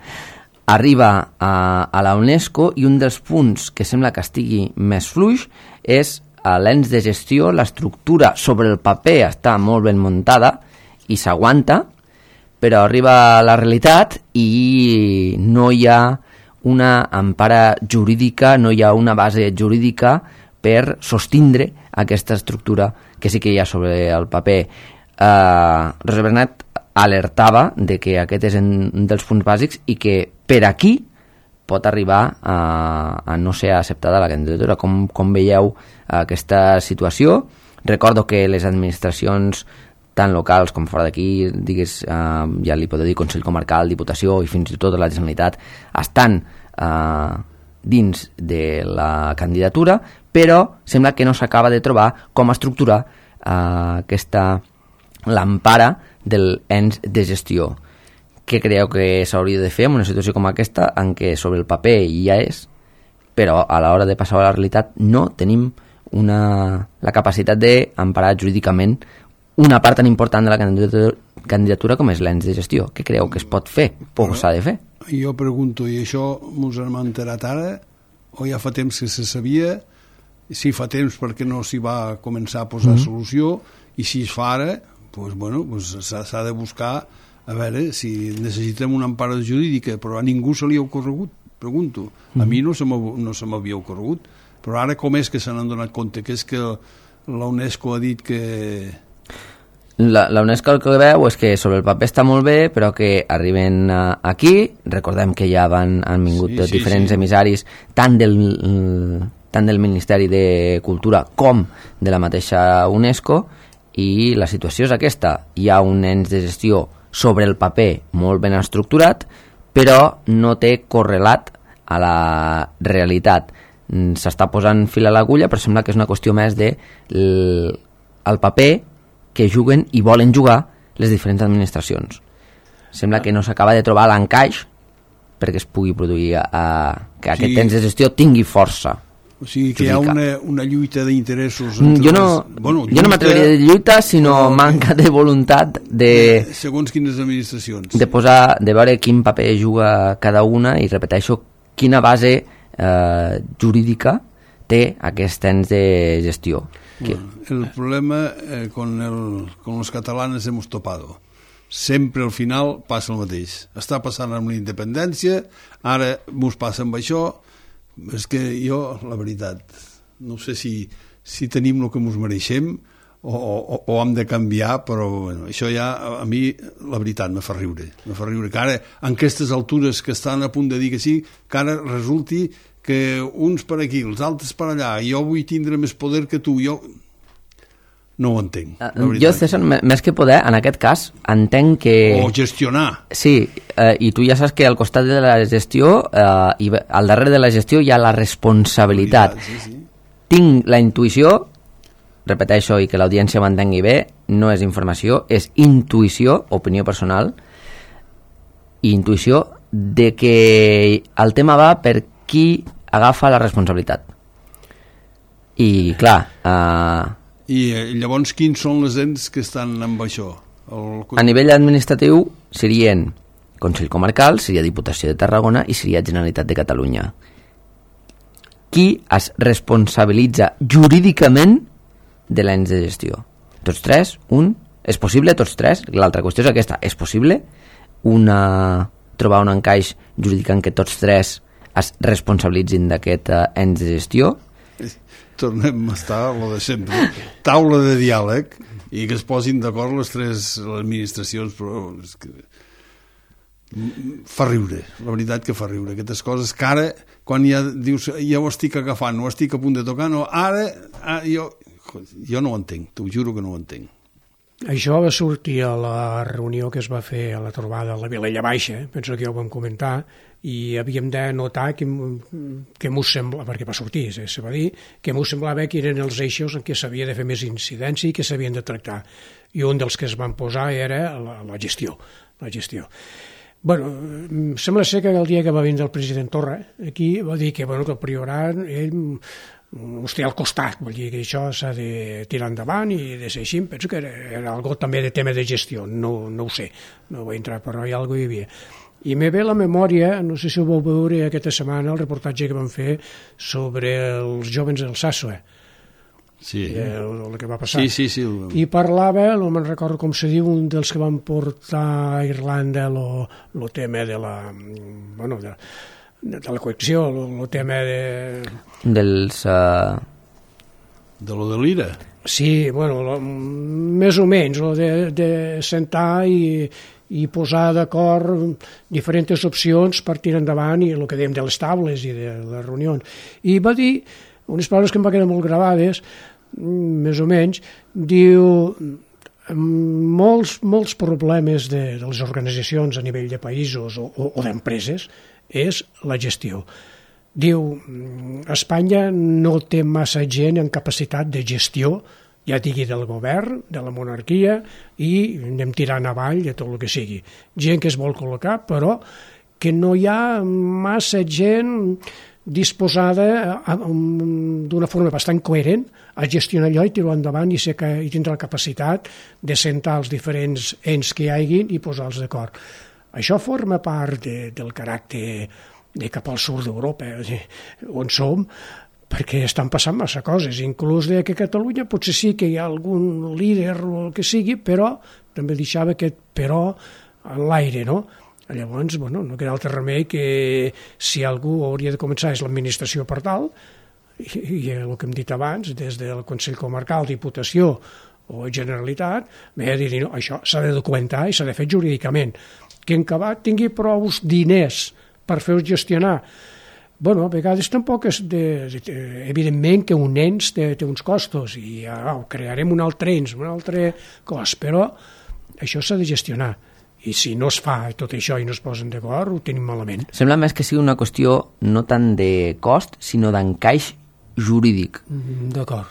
Arriba a la UNESCO, i un dels punts que sembla que estigui més fluix és l'ens de gestió. L'estructura sobre el paper està molt ben muntada i s'aguanta, però arriba a la realitat i no hi ha una empara jurídica, no hi ha una base jurídica per sostindre aquesta estructura que sí que hi ha sobre el paper. Roser Bernet alertava de que aquest és un dels punts bàsics i que per aquí pot arribar a no ser acceptada la candidatura. Com veieu aquesta situació? Recordo que les administracions tant locals com fora d'aquí, digues, ja li podeu dir Consell Comarcal, Diputació i fins i tot la Generalitat, estan dins de la candidatura, però sembla que no s'acaba de trobar com estructurar l'empara del ens de gestió. Què creieu que s'hauria de fer en una situació com aquesta, en què sobre el paper ja és, però a l'hora de passar a la realitat no tenim la capacitat d'emparar jurídicament una part tan important de la candidatura com és l'ens de gestió? Què creieu que es pot fer o s'ha de fer? Jo pregunto, i això mos hem enterat ara o ja fa temps que se sabia? Si fa temps, perquè no s'hi va començar a posar solució? I si es fa ara, doncs s'ha de buscar a veure si necessitem una empara jurídica, però a ningú se li ha ocorregut, pregunto. A mi no se m'havia ocorregut, però ara com és que se n'han donat compte? Que és que la UNESCO ha dit que... La UNESCO el que veu és que sobre el paper està molt bé, però que arriben aquí, recordem que ja han vingut diferents emissaris tant del Ministeri de Cultura com de la mateixa UNESCO, i la situació és aquesta. Hi ha un ens de gestió sobre el paper molt ben estructurat, però no té correlat a la realitat. S'està posant fil a l'agulla, però sembla que és una qüestió més de el paper que juguen i volen jugar les diferents administracions. Sembla que no s'acaba de trobar l'encaix perquè es pugui produir que aquest temps de gestió tingui força. O sigui que hi ha una lluita d'interessos. Jo no m'atreviria de lluita, sinó manca de voluntat de... Segons quines administracions. De veure quin paper juga cada una, i repeteixo, quina base jurídica té aquest ens de gestió. Bueno, el problema con los catalanes hemos topado. sempre al final passa el mateix. Està passant amb la independència, ara mos passa amb això. És que jo, la veritat, no sé si tenim el que mos mereixem o hem de canviar, però bueno, això ja a mi la veritat me fa riure que ara en aquestes altures que estan a punt de dir que sí, que ara resulti que uns per aquí, els altres per allà, jo vull tindre més poder que tu, jo no ho entenc. Jo, César, més que poder, en aquest cas, entenc que... O gestionar. Sí, i tu ja saps que al costat de la gestió, i al darrere de la gestió hi ha la responsabilitat. Sí. Tinc la intuïció, repeteixo i que l'audiència m'entengui bé, no és informació, és intuïció, opinió personal, i intuïció de que el tema va per qui agafa la responsabilitat. I, clar... I llavors quins són les ens que estan amb això? A nivell administratiu serien Consell Comarcal, seria Diputació de Tarragona i seria Generalitat de Catalunya. Qui es responsabilitza jurídicament de l'ens de gestió? Tots tres? És possible tots tres? L'altra qüestió és aquesta. És possible trobar un encaix jurídic en què tots tres es responsabilitzin d'aquest ens de gestió? Tornem a estar a lo de sempre, taula de diàleg i que es posin d'acord les tres administracions, però és que fa riure, la veritat que fa riure aquestes coses que ara quan ja dius ja ho estic agafant, ho estic a punt de tocar, no, ara jo no ho entenc, t'ho juro que no ho entenc. Això va sortir a la reunió que es va fer a la trobada a la Vilella Baixa, penso que ja ho vam comentar, i havíem de notar que m'ho semblava, perquè va sortir, se va dir, que m'ho semblava que eren els eixos en què s'havia de fer més incidència i que s'havien de tractar. I un dels que es van posar era la gestió. Bueno, sembla ser que el dia que va vindre el president Torra, aquí va dir que el Priorat, ell us té al costat, vol dir que això s'ha de tirar endavant i de ser així. Penso que era algo també de tema de gestió, no ho sé, no vaig entrar, però hi ha alguna cosa hi havia. I me ve la memòria, no sé si ho vau veure aquesta setmana, el reportatge que van fer sobre els jóvens del Sàssoe. Sí. El que va passar. Sí. I parlava, no me'n recordo com se diu, un dels que van portar a Irlanda el tema de la... Bueno, de la coacció, el tema de... Dels... De lo de l'IRA. Sí, bueno, més o menys, de sentar i posar d'acord diferents opcions per tirar endavant i el que dèiem de les taules i de les reunions. I va dir unes paraules que em va quedar molt gravades, més o menys, diu molts problemes de les organitzacions a nivell de països o d'empreses és la gestió. Diu, Espanya no té massa gent en capacitat de gestió, ja digui del govern, de la monarquia, i anem tirant avall de tot el que sigui. Gent que es vol col·locar, però que no hi ha massa gent disposada d'una forma bastant coherent a gestionar allò i tirar endavant i tindre la capacitat de sentar els diferents ens que hi hagin i posar-los d'acord. Això forma part del caràcter de cap al sud d'Europa, on som, perquè estan passant massa coses, inclús que a Catalunya potser sí que hi ha algun líder o el que sigui, però també deixava aquest però en l'aire, no? Llavors, no queda altre remei que si algú hauria de començar és l'administració per tal, i el que hem dit abans, des del Consell Comarcal, Diputació o Generalitat, m'he de dir, no, això s'ha de documentar i s'ha de fer jurídicament. Que en acabat tingui prou diners per fer-ho gestionar. A vegades tampoc és evidentment que un ens té uns costos i crearem un altre ens, un altre cost, però això s'ha de gestionar. I si no es fa tot això i no es posen d'acord, ho tenim malament. Sembla més que sigui una qüestió no tant de cost, sinó d'encaix jurídic. D'acord.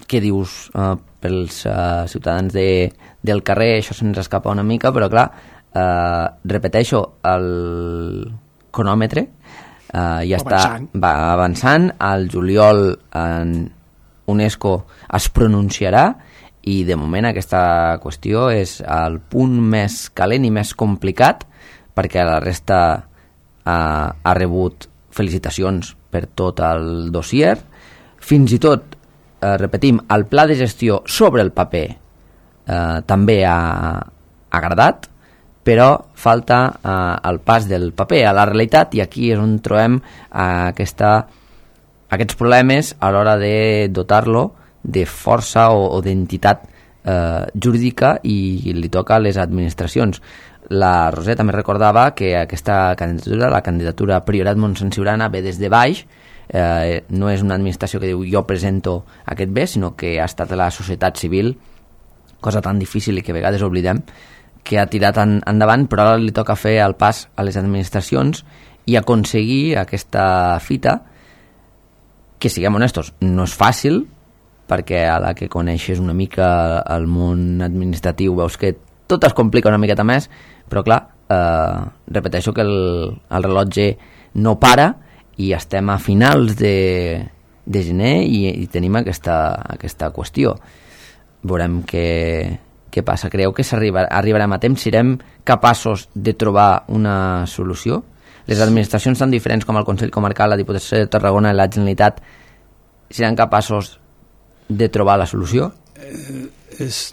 Què dius? Pels ciutadans del carrer això se'ns escapa una mica, però clar, repeteixo, el cronòmetre va avançant, al juliol en UNESCO es pronunciarà i de moment aquesta qüestió és el punt més calent i més complicat, perquè la resta ha rebut felicitacions per tot el dossier. Fins i tot, repetim, el pla de gestió sobre el paper també ha agradat, però falta el pas del paper a la realitat, i aquí és on trobem aquests problemes a l'hora de dotar-lo de força o d'entitat jurídica, i li toca a les administracions. La Roser també recordava que aquesta candidatura, la candidatura Priorat Montsant Siurana, ve des de baix, no és una administració que diu jo presento aquest bé, sinó que ha estat la societat civil, cosa tan difícil i que a vegades oblidem, que ha tirat endavant, però ara li toca fer el pas a les administracions i aconseguir aquesta fita, que, siguem honestos, no és fàcil, perquè a la que coneixes una mica el món administratiu veus que tot es complica una miqueta més, però clar, repeteixo que el rellotge no para i estem a finals de gener i tenim aquesta qüestió. Veurem què passa. Creieu que arribarem a temps? Serem capaços de trobar una solució? Les administracions tan diferents com el Consell Comarcal, la Diputació de Tarragona i la Generalitat seran capaços de trobar la solució?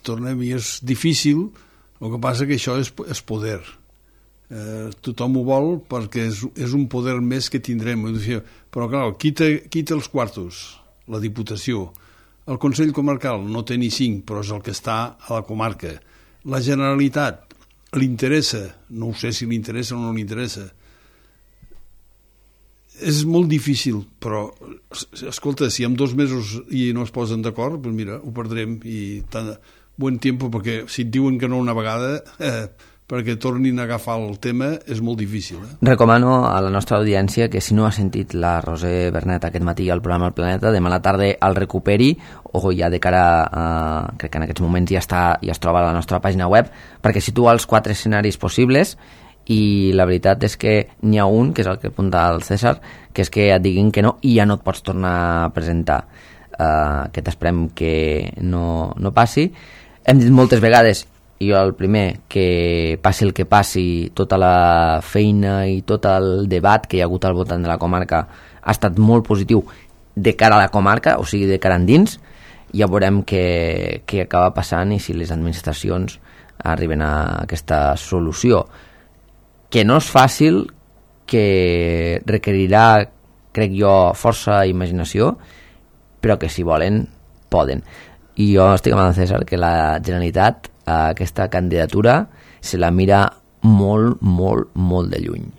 Tornem-hi, és difícil. El que passa que això és poder. Tothom ho vol perquè és un poder més que tindrem. Però clar, qui té els quartos? La Diputació. El Consell Comarcal no té ni 5, però és el que està a la comarca. La Generalitat li interessa? No ho sé si li interessa o no li interessa. És molt difícil, però escolta, si en 2 mesos i no es posen d'acord, doncs mira, ho perdrem, i tant bon temps, perquè si et diuen que no una vegada, perquè tornin a agafar el tema, és molt difícil. Recomano a la nostra audiència que si no ha sentit la Roser Bernet aquest matí al programa El Planeta, demà a la tarda el recuperi, o ja de cara a... crec que en aquests moments ja es troba a la nostra pàgina web, perquè situa els 4 escenaris possibles, i la veritat és que n'hi ha un, que és el que apunta el César, que és que et diguin que no i ja no et pots tornar a presentar. Aquest esperem que no passi. Hem dit moltes vegades, i jo el primer, que passi el que passi, tota la feina i tot el debat que hi ha hagut al voltant de la comarca ha estat molt positiu de cara a la comarca, o sigui, de cara endins. Ja veurem què acaba passant i si les administracions arriben a aquesta solució, que no és fàcil, que requerirà, crec jo, força i imaginació, però que si volen, poden. I jo estic amb el César que la Generalitat a aquesta candidatura se la mira molt, molt, molt de lluny.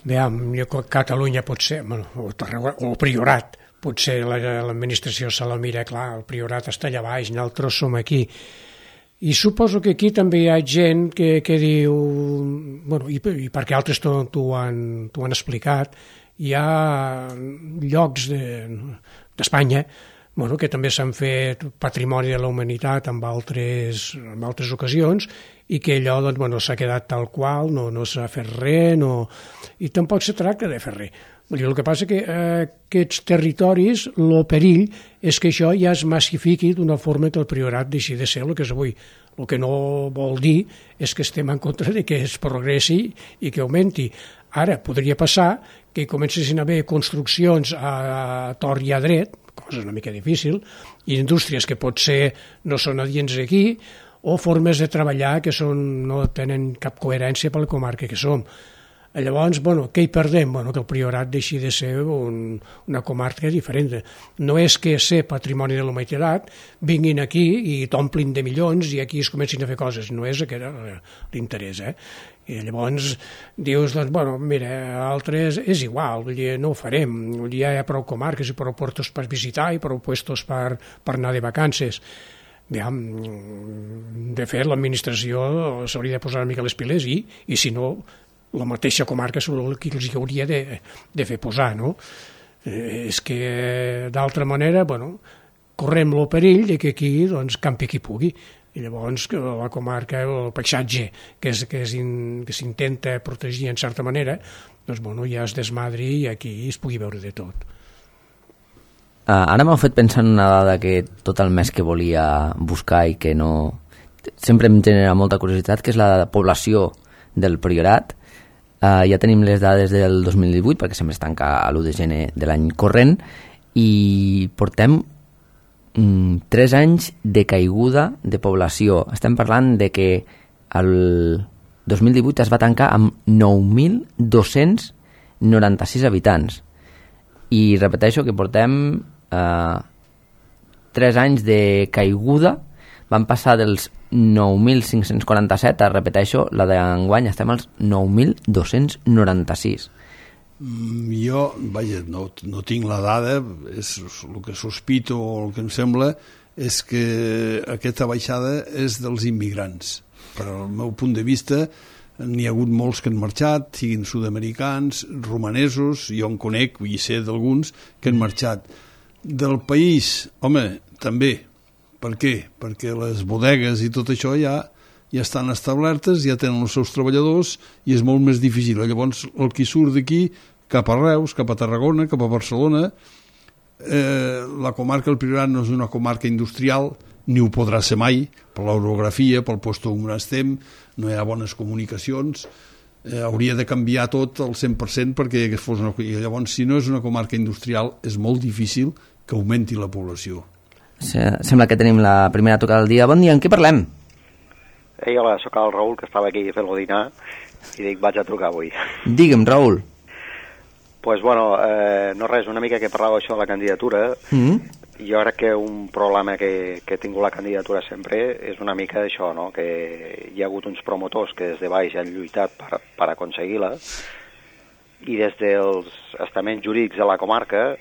Veiem, Catalunya pot ser, o el Priorat, potser l'administració se la mira, clar, el Priorat està allà baix, nosaltres som aquí. I suposo que aquí també hi ha gent que diu, bueno, i perquè altres t'ho han explicat, hi ha llocs d'Espanya que també s'han fet patrimoni de la humanitat en altres ocasions, i que allò s'ha quedat tal qual, no s'ha fet res, i tampoc se tracta de fer res. El que passa que aquests territoris, el perill és que això ja es massifiqui d'una forma que el Priorat deixi de ser el que és avui. El que no vol dir és que estem en contra de que es progressi i que augmenti. Ara podria passar que comencessin a haver construccions a tort i a dret, cosa una mica difícil, i indústries que potser no són adients aquí, o formes de treballar que no tenen cap coherència per la comarca que som. Llavors, què hi perdem? Que el Priorat deixi de ser una comarca diferent. No és que ser patrimoni de la humanitat vinguin aquí i t'omplin de milions i aquí es comencin a fer coses. No és aquest l'interès. I llavors dius, mira, altres és igual, no ho farem. Ja hi ha prou comarques i prou puestos per visitar i prou puestos per anar de vacances. De fet, l'administració s'hauria de posar una mica les piles i si no, la mateixa comarca és el que els hauria de fer posar, no? És que, d'altra manera, correm el perill de que aquí campi qui pugui. I llavors la comarca, el paisatge que s'intenta protegir en certa manera, ja es desmadri i aquí es pugui veure de tot. Ara m'ha fet pensar en una dada que tot el mes que volia buscar i que no... sempre em genera molta curiositat, que és la població del Priorat. Ja tenim les dades del 2018, perquè sempre es tanca a l'1 de gener de l'any corrent, i portem 3 anys de caiguda de població. Estem parlant de que el 2018 es va tancar amb 9.296 habitants. I repeteixo que portem 3 anys de caiguda. Van passar dels 9.547, repeteixo, la d'enguany estem als 9.296. Jo, vaja, no tinc la dada, és el que sospito o el que em sembla és que aquesta baixada és dels immigrants. Per al meu punt de vista, n'hi ha hagut molts que han marxat, siguin sud-americans, romanesos, jo en conec, i sé d'alguns que han marxat. Del país, home, també. Per què? Perquè les bodegues i tot això ja estan establertes, ja tenen els seus treballadors i és molt més difícil. Llavors, el que surt d'aquí, cap a Reus, cap a Tarragona, cap a Barcelona, la comarca del Priorat no és una comarca industrial, ni ho podrà ser mai, per l'orografia, pel lloc on estem, no hi ha bones comunicacions, hauria de canviar tot al 100% perquè fos una... I llavors, si no és una comarca industrial, és molt difícil que augmenti la població. Sembla que tenim la primera tocada del dia. Bon dia, en què parlem? Hola, sóc el Raül, que estava aquí fent-lo dinar, i dic, vaig a trucar avui. Digue'm, Raül. Pues bueno, no res, una mica que parlava això de la candidatura. Jo crec que un problema que he tingut la candidatura sempre és una mica això, no? Que hi ha hagut uns promotors que des de baix han lluitat per aconseguir-la, i des dels estaments jurídics de la comarca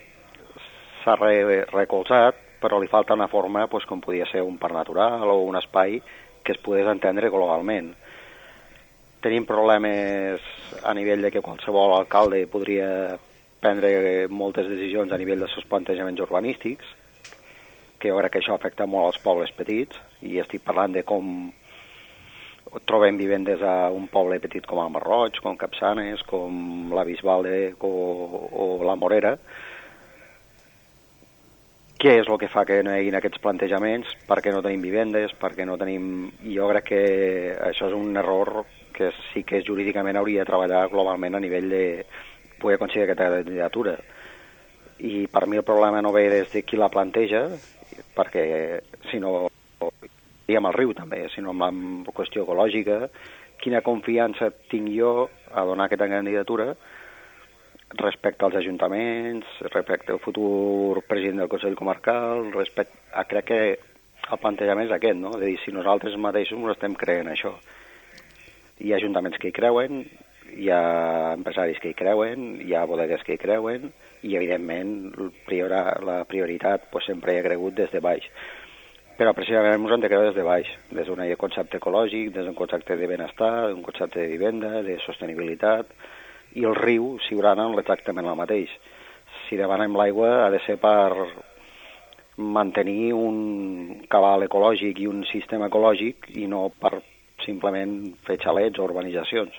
s'ha recolzat, però li falta una forma pues, com podia ser un parc natural o un espai que es pogués entendre globalment. Tenim problemes a nivell de que qualsevol alcalde podria prendre moltes decisions a nivell dels seus plantejaments urbanístics, que jo crec que això afecta molt als pobles petits, i estic parlant de com trobem vivendes a un poble petit com el Masroig, com Capçanes, com la Bisbal o la Morera. Què és el que fa que no hi hagi aquests plantejaments? Per què no tenim vivendes? Per què no tenim... Jo crec que això és un error que sí que jurídicament hauria de treballar globalment a nivell de poder aconseguir aquesta candidatura. I per mi el problema no ve des de qui la planteja, perquè si no... i amb el riu també, sinó amb la qüestió ecològica, quina confiança tinc jo a donar aquesta candidatura respecte als ajuntaments, respecte al futur president del Consell Comarcal, crec que el plantejament és aquest, no? És a dir, si nosaltres mateixos ens estem creent això. Hi ha ajuntaments que hi creuen, hi ha empresaris que hi creuen, hi ha bodegues que hi creuen, i evidentment la prioritat pues, sempre hi ha cregut des de baix. Però precisament ens hem de creure des de baix, des d'un concepte ecològic, des d'un concepte de benestar, d'un concepte de vivenda, de sostenibilitat, i el riu, Siurana, és exactament el mateix. Si demanem l'aigua ha de ser per mantenir un cabal ecològic i un sistema ecològic i no per simplement fer xalets o urbanitzacions.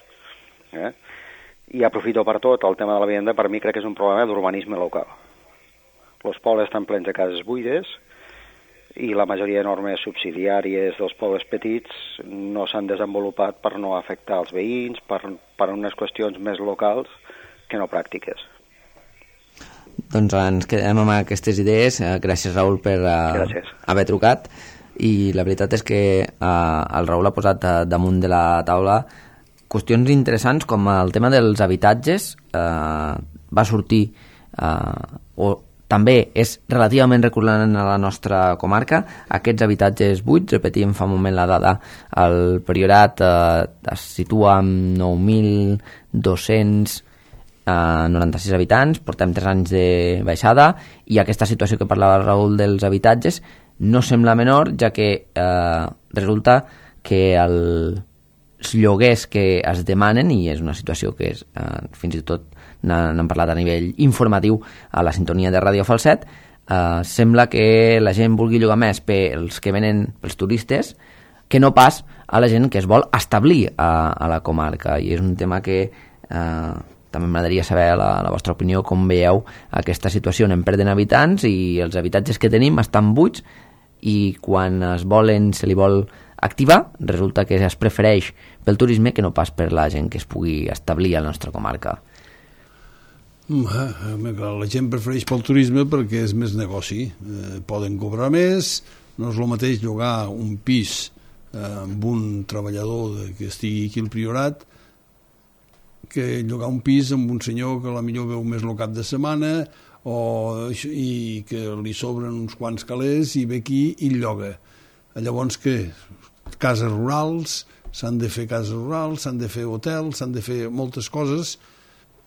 I aprofito per tot, el tema de la vivenda per mi crec que és un problema d'urbanisme local. Els pobles estan plens de cases buides i la majoria de normes subsidiàries dels pobles petits no s'han desenvolupat per no afectar els veïns, per unes qüestions més locals que no pràctiques. Doncs ens quedem amb aquestes idees. Gràcies, Raül, per haver trucat. I la veritat és que el Raül ha posat damunt de la taula qüestions interessants com el tema dels habitatges. Va sortir també és relativament recurrent a la nostra comarca, aquests habitatges buits, repetíem fa un moment la dada, el Priorat es situa amb 9.296 habitants, portem 3 anys de baixada, i aquesta situació que parlava el Raül dels habitatges no sembla menor, ja que resulta que els lloguers que es demanen, i és una situació que és fins i tot n'hem parlat a nivell informatiu a la sintonia de Ràdio Falset, sembla que la gent vulgui llogar més pels que venen, pels turistes, que no pas a la gent que es vol establir a la comarca. I és un tema que també m'agradaria saber la vostra opinió, com veieu aquesta situació. Anem perdent habitants i els habitatges que tenim estan buits, i quan se li vol activar, resulta que es prefereix pel turisme que no pas per la gent que es pugui establir a la nostra comarca. La gent prefereix pel turisme perquè és més negoci. Poden cobrar més, no és el mateix llogar un pis amb un treballador que estigui aquí al Priorat que llogar un pis amb un senyor que potser veu més el cap de setmana i que li sobren uns quants calés i ve aquí i lloga. Llavors què? Cases rurals, s'han de fer cases rurals, s'han de fer hotels, s'han de fer moltes coses,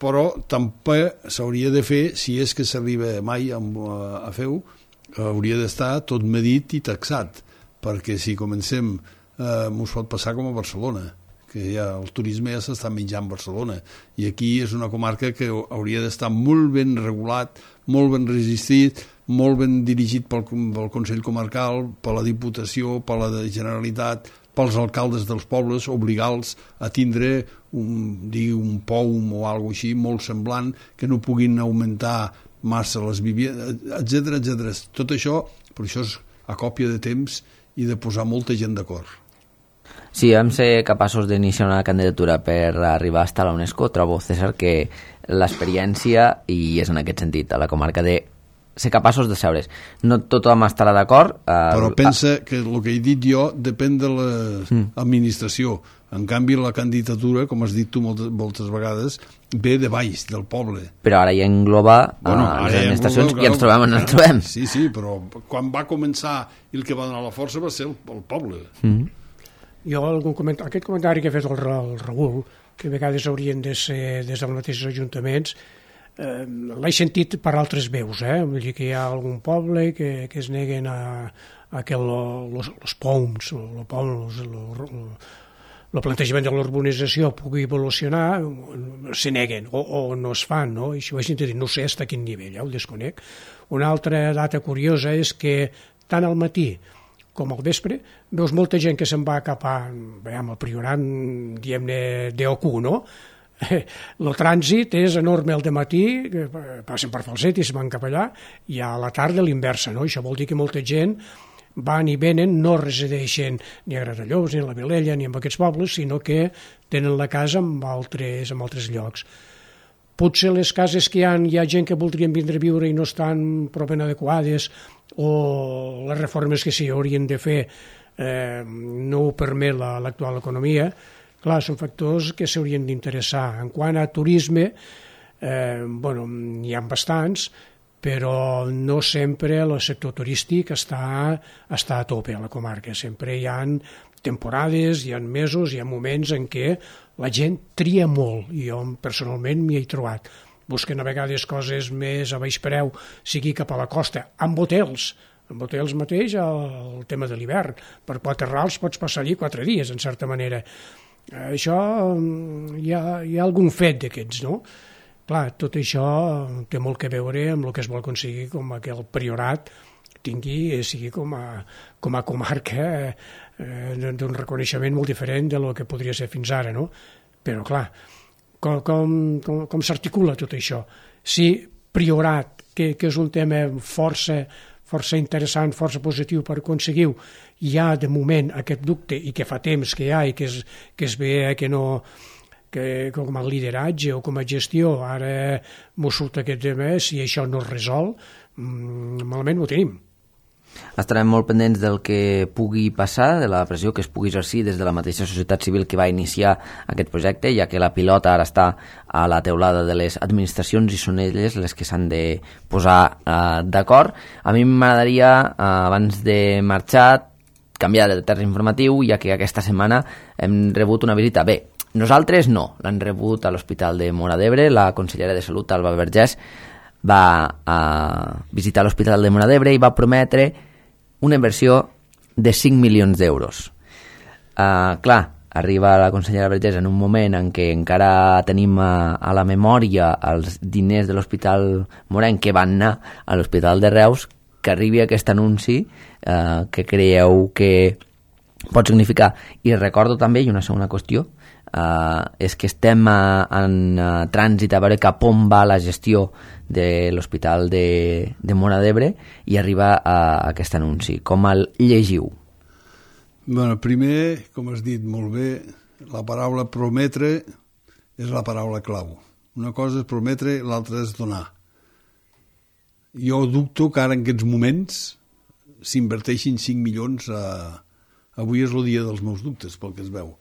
però tampoc s'hauria de fer, si és que s'arriba mai a fer-ho, hauria d'estar tot medit i taxat, perquè si comencem ens pot passar com a Barcelona, que ja el turisme ja s'està menjant Barcelona, i aquí és una comarca que hauria d'estar molt ben regulat, molt ben resistit, molt ben dirigit pel Consell Comarcal, per la Diputació, per la Generalitat, pels alcaldes dels pobles, obligar-los a tindre un POUM o alguna cosa així, molt semblant, que no puguin augmentar massa les vivendes, etc. Tot això, per això és a còpia de temps i de posar molta gent d'acord. Si vam ser capaços d'iniciar una candidatura per arribar fins a la UNESCO, trobo, César, que l'experiència, i és en aquest sentit, a la comarca de ser capaços de seure's. No tothom estarà d'acord. Però pensa que el que he dit jo depèn de l'administració. En canvi, la candidatura, com has dit tu moltes vegades, ve de baix, del poble. Però ara ja engloba les administracions i ens trobem on ens trobem. Sí, però quan va començar i el que va donar la força va ser el poble. Jo, aquest comentari que ha fet el Raül, que a vegades haurien de ser des dels mateixos ajuntaments, l'he sentit per altres veus, vull dir que hi ha algun poble que es neguen a que els POUMs, el plantejament de l'urbanització pugui evolucionar, se neguen o no es fan, no? I això ho he sentit dir, no sé fins a quin nivell, ho desconec. Una altra data curiosa és que tant al matí com al vespre veus molta gent que se'n va cap amb el Priorat, diguem-ne, d'OQ, no? El trànsit és enorme al dematí, passen per Falset i se'n van cap allà, i a la tarda l'inversa, no? Això vol dir que molta gent van i venen, no resideixen ni a Gratallops, ni a la Vilella, ni en aquests pobles, sinó que tenen la casa en altres llocs. Potser les cases que hi ha gent que voldrien vindre a viure i no estan prou ben adequades, o les reformes que s'hi haurien de fer no ho permet l'actual economia. Clar, són factors que s'haurien d'interessar. En quant a turisme, n'hi ha bastants, però no sempre el sector turístic està a tope a la comarca. Sempre hi ha temporades, hi ha mesos, hi ha moments en què la gent tria molt, i jo personalment m'hi he trobat. Busquen a vegades coses més a baix preu, sigui cap a la costa, amb hotels mateix, el tema de l'hivern. Per 4 rals pots passar allí 4 dies, en certa manera. Això hi ha algun fet d'aquests, no? Clar, tot això té molt a veure amb el que es vol aconseguir com que el Priorat sigui com a comarca d'un reconeixement molt diferent del que podria ser fins ara, no? Però clar, com s'articula tot això? Si Priorat, que és un tema força interessant, força positiu per aconseguir-ho, hi ha de moment aquest dubte i que fa temps que hi ha i que es ve que com a lideratge o com a gestió ara m'ho surt aquest tema, si això no es resol, malament ho tenim. Estarem molt pendents del que pugui passar, de la pressió que es pugui exercir des de la mateixa societat civil que va iniciar aquest projecte, ja que la pilota ara està a la teulada de les administracions i són elles les que s'han de posar d'acord. A mi m'agradaria, abans de marxar, canviar de terç informatiu, ja que aquesta setmana hem rebut una visita. Bé, nosaltres no, l'han rebut a l'Hospital de Móra d'Ebre. La consellera de Salut, Alba Vergés, va visitar l'Hospital de Móra d'Ebre i va prometre una inversió de 5 milions d'euros. Clar, arriba la consellera Vergés en un moment en què encara tenim a la memòria els diners de l'Hospital Morenc que van anar a l'Hospital de Reus, que arribi aquest anunci que creieu que pot significar. I recordo també, i una segona qüestió, és que estem en trànsit a veure cap on va la gestió de l'Hospital de Móra d'Ebre i arriba aquest anunci. Com el llegiu? Bueno, primer, com has dit molt bé, la paraula prometre és la paraula clau. Una cosa és prometre, l'altra és donar. Jo dubto que ara en aquests moments s'inverteixin 5 milions avui és el dia dels meus dubtes, pel que es veu.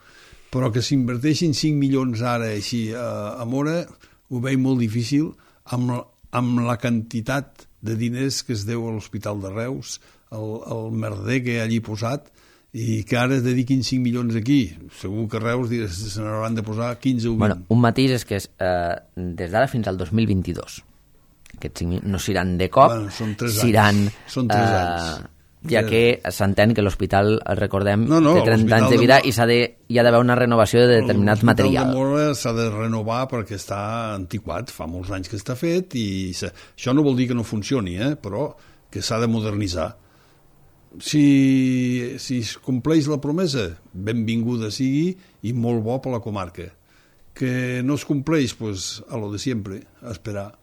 Però que s'inverteixin 5 milions ara així a Móra ho veig molt difícil amb la quantitat de diners que es deu a l'Hospital de Reus, el merder que hi ha allí posat, i que ara es dediquin 5 milions aquí. Segur que Reus se n'hauran de posar 15 o 20. Bueno, un matís és que des d'ara fins al 2022. Aquests 5 milions no seran de cop, són 3 anys. seran... Són 3 anys. Ja que s'entén que l'hospital, recordem, té 30 anys de l'Hospital vida i hi ha d'haver una renovació de determinats materials. L'Hospital de Móra s'ha de renovar perquè està antiquat, fa molts anys que està fet, i això no vol dir que no funcioni, però que s'ha de modernitzar. Si es compleix la promesa, benvinguda sigui i molt bo per la comarca. Que no es compleix, doncs, a lo de sempre, a esperar.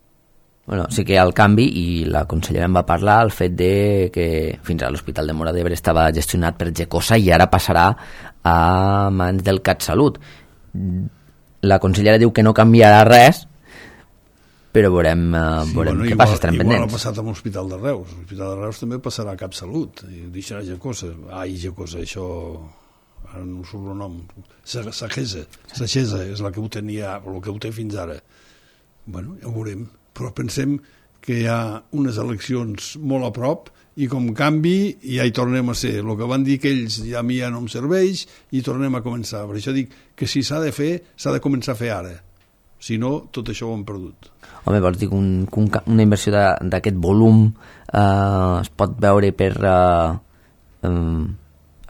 Bueno, sí que hi ha el canvi, i la consellera en va parlar, el fet de que fins a l'Hospital de Móra d'Ebre estava gestionat per Gecosa i ara passarà a mans del CatSalut. La consellera diu que no canviarà res, però veurem què passa, estarem pendents. Igual ha passat amb l'Hospital de Reus. L'Hospital de Reus també passarà a CatSalut, i deixarà Gecosa. Gecosa, això... ara no surt el nom. Sagesa és la que ho tenia, el que ho té fins ara. Bueno, ja ho veurem. Però pensem que hi ha unes eleccions molt a prop i com canvi ja hi tornem a ser. El que van dir que ells a mi ja no em serveix i tornem a començar. Per això dic que si s'ha de fer, s'ha de començar a fer ara. Si no, tot això ho hem perdut. Home, vols dir que una inversió d'aquest volum es pot veure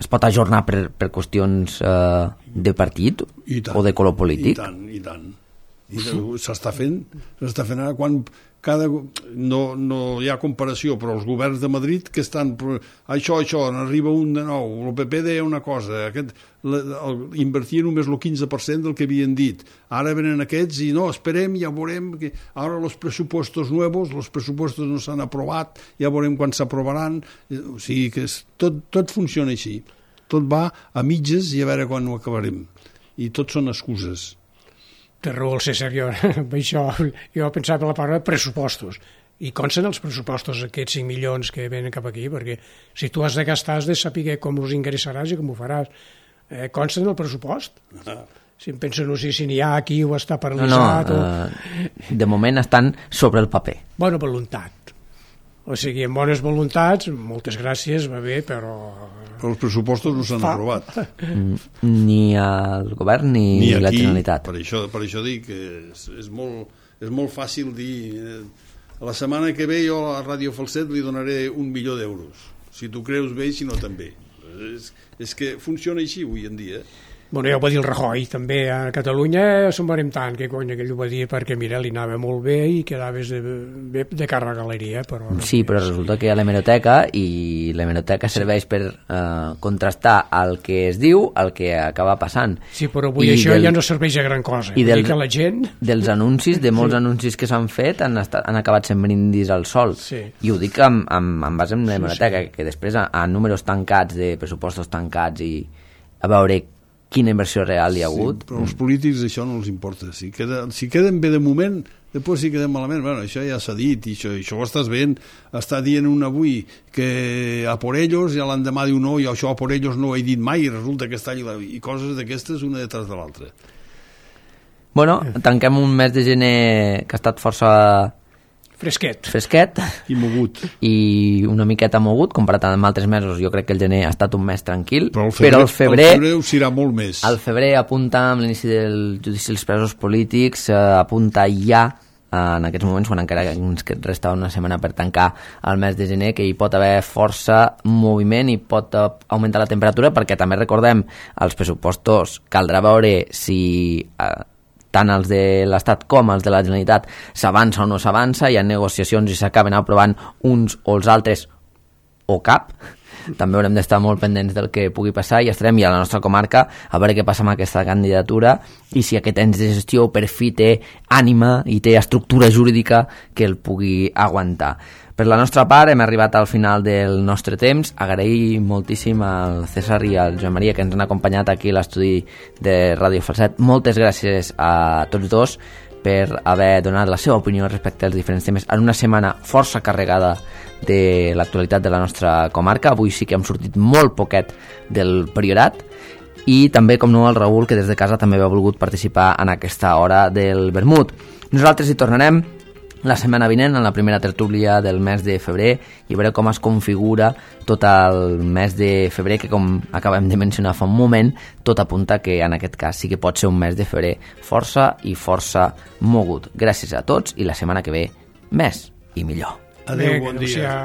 es pot ajornar per qüestions de partit o de color polític? I tant. S'està fent ara quan no hi ha comparació, però els governs de Madrid que estan això, n'arriba un de nou, el PP deia una cosa, invertia només el 15% del que havien dit, ara venen aquests i no, esperem, ja veurem que ara els pressupostos nous, els pressupostos no s'han aprovat, ja veurem quan s'aprovaran, o sigui que tot funciona així, tot va a mitges i a veure quan ho acabarem, i tot són excuses. Té raó el César, jo pensava en la paraula pressupostos, i consten els pressupostos aquests 5 milions que venen cap aquí, perquè si tu has de gastar has de saber com els ingressaràs i com ho faràs. Consten el pressupost? Si em penso, no sé si n'hi ha aquí o està paralitzat. De moment estan sobre el paper. Bona voluntat. O sigui, amb bones voluntats, moltes gràcies, va bé, però els pressupostos no s'han aprovat. Ni el govern ni la Generalitat. Per això dic que és molt fàcil dir la setmana que ve jo a Ràdio Falset li donaré 1 milió d'euros. Si tu creus bé, si no també. És que funciona així avui en dia. Bueno, ja ho va dir el Rajoy, també a Catalunya se'n veurem tant, que cony, aquell ho va dir perquè, mira, li anava molt bé i quedaves de cara a la galeria. Però sí, però resulta que hi ha l'hemeroteca i l'hemeroteca serveix per contrastar el que es diu, el que acaba passant. Sí, però avui això ja no serveix a gran cosa. I que la gent... dels anuncis, de molts anuncis que s'han fet, han acabat sent brindis al sol. Sí. I ho dic en base en l'hemeroteca, que després a números tancats, de pressupostos tancats i a veure quina inversió real hi ha hagut. Però als polítics això no els importa. Si queden bé de moment, després si queden malament, bueno, això ja s'ha dit, i això ho estàs veient, està dient un avui que a por ellos, i l'endemà diu no, i això a por ellos no ho he dit mai, i resulta que està allà, i coses d'aquestes una detrás de l'altra. Bueno, tanquem un mes de gener que ha estat força fresquet i mogut, i una miqueta mogut comparat amb altres mesos. Jo crec que el gener ha estat un mes tranquil, però el febrer ho serà molt més. El febrer apunta amb l'inici del judici dels presos polítics, apunta ja en aquests moments, quan encara ens resta una setmana per tancar el mes de gener, que hi pot haver força moviment i pot augmentar la temperatura, perquè també recordem els pressupostos, caldrà veure si tant els de l'Estat com els de la Generalitat s'avança o no s'avança, hi ha negociacions i s'acaben aprovant uns o els altres o cap. També haurem d'estar molt pendents del que pugui passar i estarem ja a la nostra comarca a veure què passa amb aquesta candidatura i si aquest ens de gestió per fi té ànima i té estructura jurídica que el pugui aguantar. Per la nostra part hem arribat al final del nostre temps. Agrair moltíssim al César i al Joan Maria que ens han acompanyat aquí a l'estudi de Ràdio Falset. Moltes gràcies a tots dos per haver donat la seva opinió respecte als diferents temes en una setmana força carregada de l'actualitat de la nostra comarca. Avui sí que hem sortit molt poquet del Priorat, i també, com no, el Raül, que des de casa també ha volgut participar en aquesta hora del vermut. Nosaltres hi tornarem la setmana vinent, en la primera tertúlia del mes de febrer, i veureu com es configura tot el mes de febrer, que com acabem de mencionar fa un moment, tot apunta que en aquest cas sí que pot ser un mes de febrer força i força mogut. Gràcies a tots, i la setmana que ve més i millor. Adéu, bon dia.